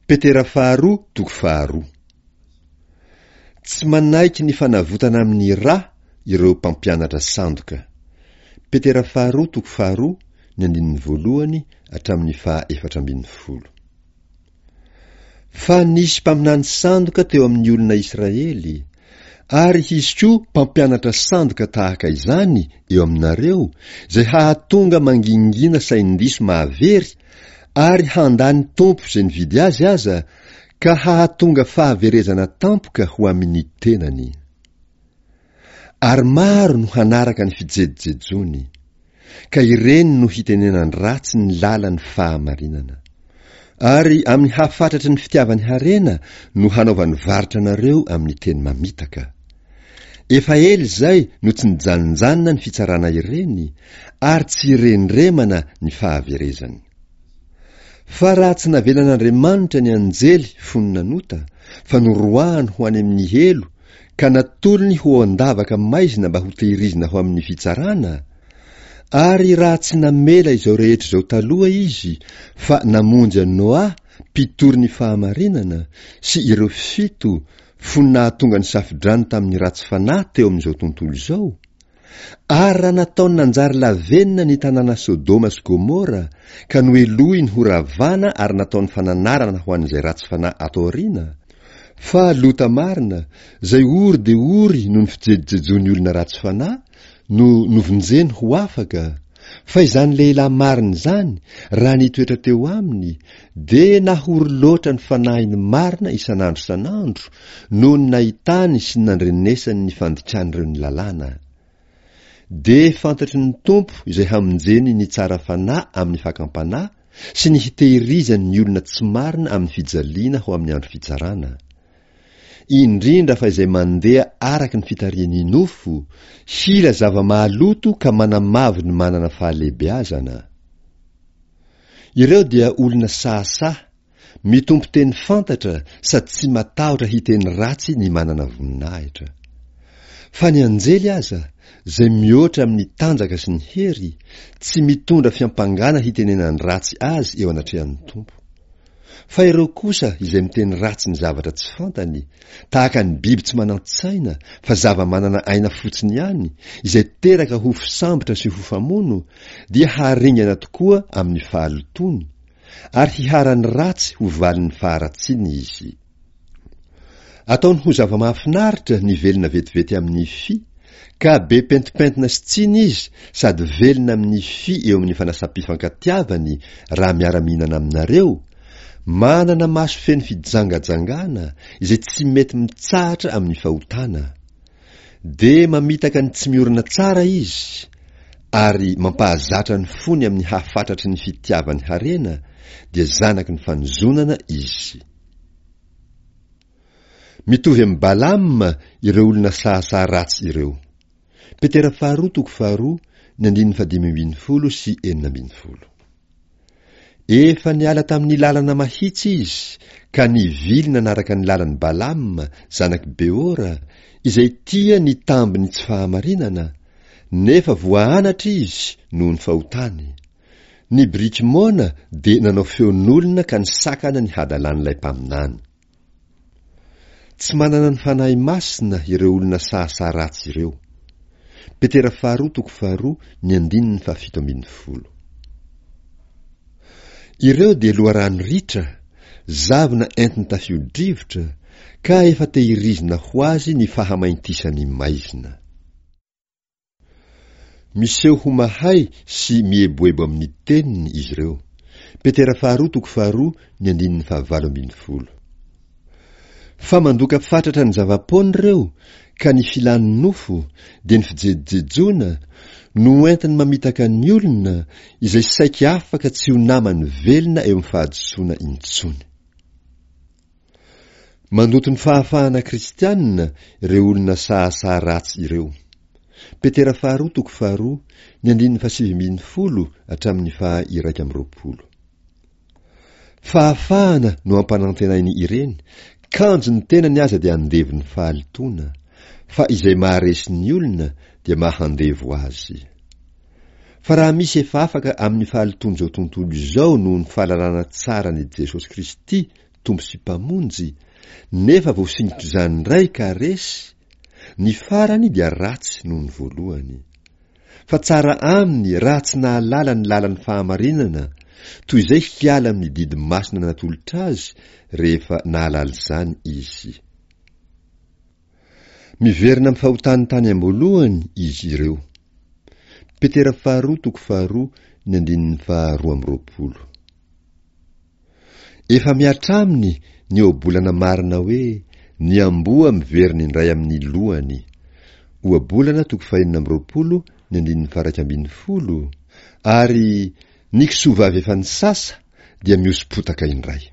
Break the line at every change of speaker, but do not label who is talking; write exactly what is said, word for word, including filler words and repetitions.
Petera faharoa toko faharoa. Tsy manaiky ny fanavotana amin'ny rà ireo mpampianatra sandoka. Petera faharoa toko faharoa ny andininy voalohany hatramin'ny faha efatra ambin'ny folo. Fa nisy mpaminany sandoka teo amin'ny olona Israely, ary hisy koa mpampianatra sandoka tahaka izany eo aminareo, izay hahatonga mangingina sain-diso mahavery ary handà ny Tompo izay nividy azy aza, ka hahatonga fahaverezana tampoka ho amin'ny tenany. Ary maro no hanaraka ny fijejojejoany, ka ireny no hitenenan-dratsy ny lalan'ny fahamarinana. Ary amin'ny hafatratry ny fitiavany harena no hanaovany varotra anareo amin'ny teny mamitaka. Efa ela izay no tsy nijanonjanona ny fitsarana ireny, ary tsy rendremana ny fahaverezany. Fa raha tsy navelan'Andriamanitra ny anjely fony nanota, fa noroahany ho any amin'ny helo, ka natolony ho ao an-davaka maizina mba hotehirizina ho amin'ny fitsarana, ary raha tsy namela izao rehetra izao taloha izy, fa namonjy an'i Noa, mpitory ny fahamarinana, sy ireo fito, fony nahatonga ny safodrano tamin'ny ratsy fanahy teo amin'izao tontolo izao, ary raha nataony nanjary lavenona ny tanàna Sodoma sy Gomora, ka nohelohiny ho ravana ary nataony fananarana ho an'izay ratsy fanahy ato aoriana, fa Lota marina, izay ory dia ory noho ny fijejojejoan'ny olona ratsy fanahy, no novonjeny ho afaka, fa izany lehilahy marina izany, raha nitoetra teo aminy, dia nahory loatra ny fanahiny marina isan'andro isan'andro noho ny nahitany sy ny nandrenesany ny fandikan'ireo ny lalàna. Dia fantatry ny Tompo izay hamonjeny ny tsara fanahy amin'ny fakam-panahy sy ny hitehirizany ny olona tsy marina amin'ny fijaliana ho amin'ny andro fitsarana. Indrindra fa izay mandeha araka ny fitarihan'ny nofo, hila zava-mahaloto ka manamavo ny manana fahalehibeazana. Ireo dia olona sahasaha, mitompo teny fantatra sady tsy matahotra hiteny ratsy ny manana voninahitra. Fa ny anjely aza, izay mihoatra amin'ny tanjaka sy ny hery, tsy mitondra fiampangana hitenenany ratsy azy eo anatrehan'ny Tompo. Fa ireo kosa izay miteny ratsy ny zavatra tsy fantany, tahaka ny biby tsy manan-tsaina fa zava-manana aina fotsiny ihany, izay teraka ho fisambotra sy ho famono, dia haringana tokoa amin'ny fahalotoany, ary hiharan'ny ratsy ho valin'ny faharatsiany izy. Ataony ho zava-mahafinaritra ny velona vetivety amin'ny fy, ka be pentimpentina sy tsiny izy sady velona amin'ny fy eo amin'ny fanasam-pifankatiavany raha miara-mihinana aminareo, manana maso feno fijangajangana izay tsy mety mitsahatra amin'ny fahotana. Dia mamitaka ny tsy miorina tsara izy, ary mampahazatra ny fony amin'ny hafatratry ny fitiavany harena, dia zanaky ny fanozonana izy. Mitovy amin'i Balama ireo olona sahasaha ratsy ireo. Petera faharoa toko faharoa ny andininy fahadimy ambin'ny folo sy enina ambin'ny folo. Efa niala tamin'ny lalana mahitsy izy ka nivily nanaraka ny lalan'i Balama zanak'i Beora, izay tia ny tambin'ny tsy fahamarinana, nefa voaanatra izy noho ny fahotany. Ny biriky moana dia nanao feon'olona ka nisakana ny hadalan'ilay mpaminany. Tsy manana ny Fanahy Masina ireo olona sahasaha ratsy ireo. Petera faharoa toko faharoa ny andininy fahafito ambin'ny folo. Ireo dia loharano ritra, zavona entin'ny tafio-drivotra, ka efa tehirizina ho azy ny fahamaintisan'ny maizina. Miseho ho mahay sy mieboebo amin'ny teniny izy ireo. Petera faharoa toko faharoa ny andininy fahavalo ambin'ny folo. Fa mandoka fatratra ny zava-poana ireo, ka ny filan'ny nofo, dia ny fijejojejoana, no entiny mamitaka ny olona, izay saiky afaka tsy ho namany velona eo amin'ny fahadisoana intsony. Mandoto ny fahafahana kristianina ireo olona sahasaha ratsy ireo. Petera faharoa toko faharoa ny andininy fahasivy ambin'ny folo hatramin'ny faha iraika amby roapolo. Fahafahana no ampanantenainy ireny, kanjo ny tenany aza dia andevon'ny fahalotoana, fa izay maharesy ny olona dia mahandevo azy. Fa raha misy efa afaka amin'ny fahalotoan'izao tontolo izao noho ny fahalalana tsara an'i Jesosy Kristy Tompo sy Mpamonjy, nefa voasingotr'izany indray ka resy, ny farany dia ratsy noho ny voalohany. Fa tsara aminy raha tsy nahalala ny lalan'ny fahamarinana toy izay hiala amin'ny didy masina natolotra azy rehefa nahalala izany izy. Miverina amin'ny fahotany tany am-boalohany izy ireo. Petera faharoa toko faharoa ny andininy faharoa amby roapolo. Efa mihatra aminy ny ohabolana marina hoe ny amboa miverina indray amin'ny lohany. Ohabolana toko fahenina amby roapolo ny andininy faha-iraika ambin'ny folo ary ny kisoa vavy efa nisasa dia mihosom-potaka indray.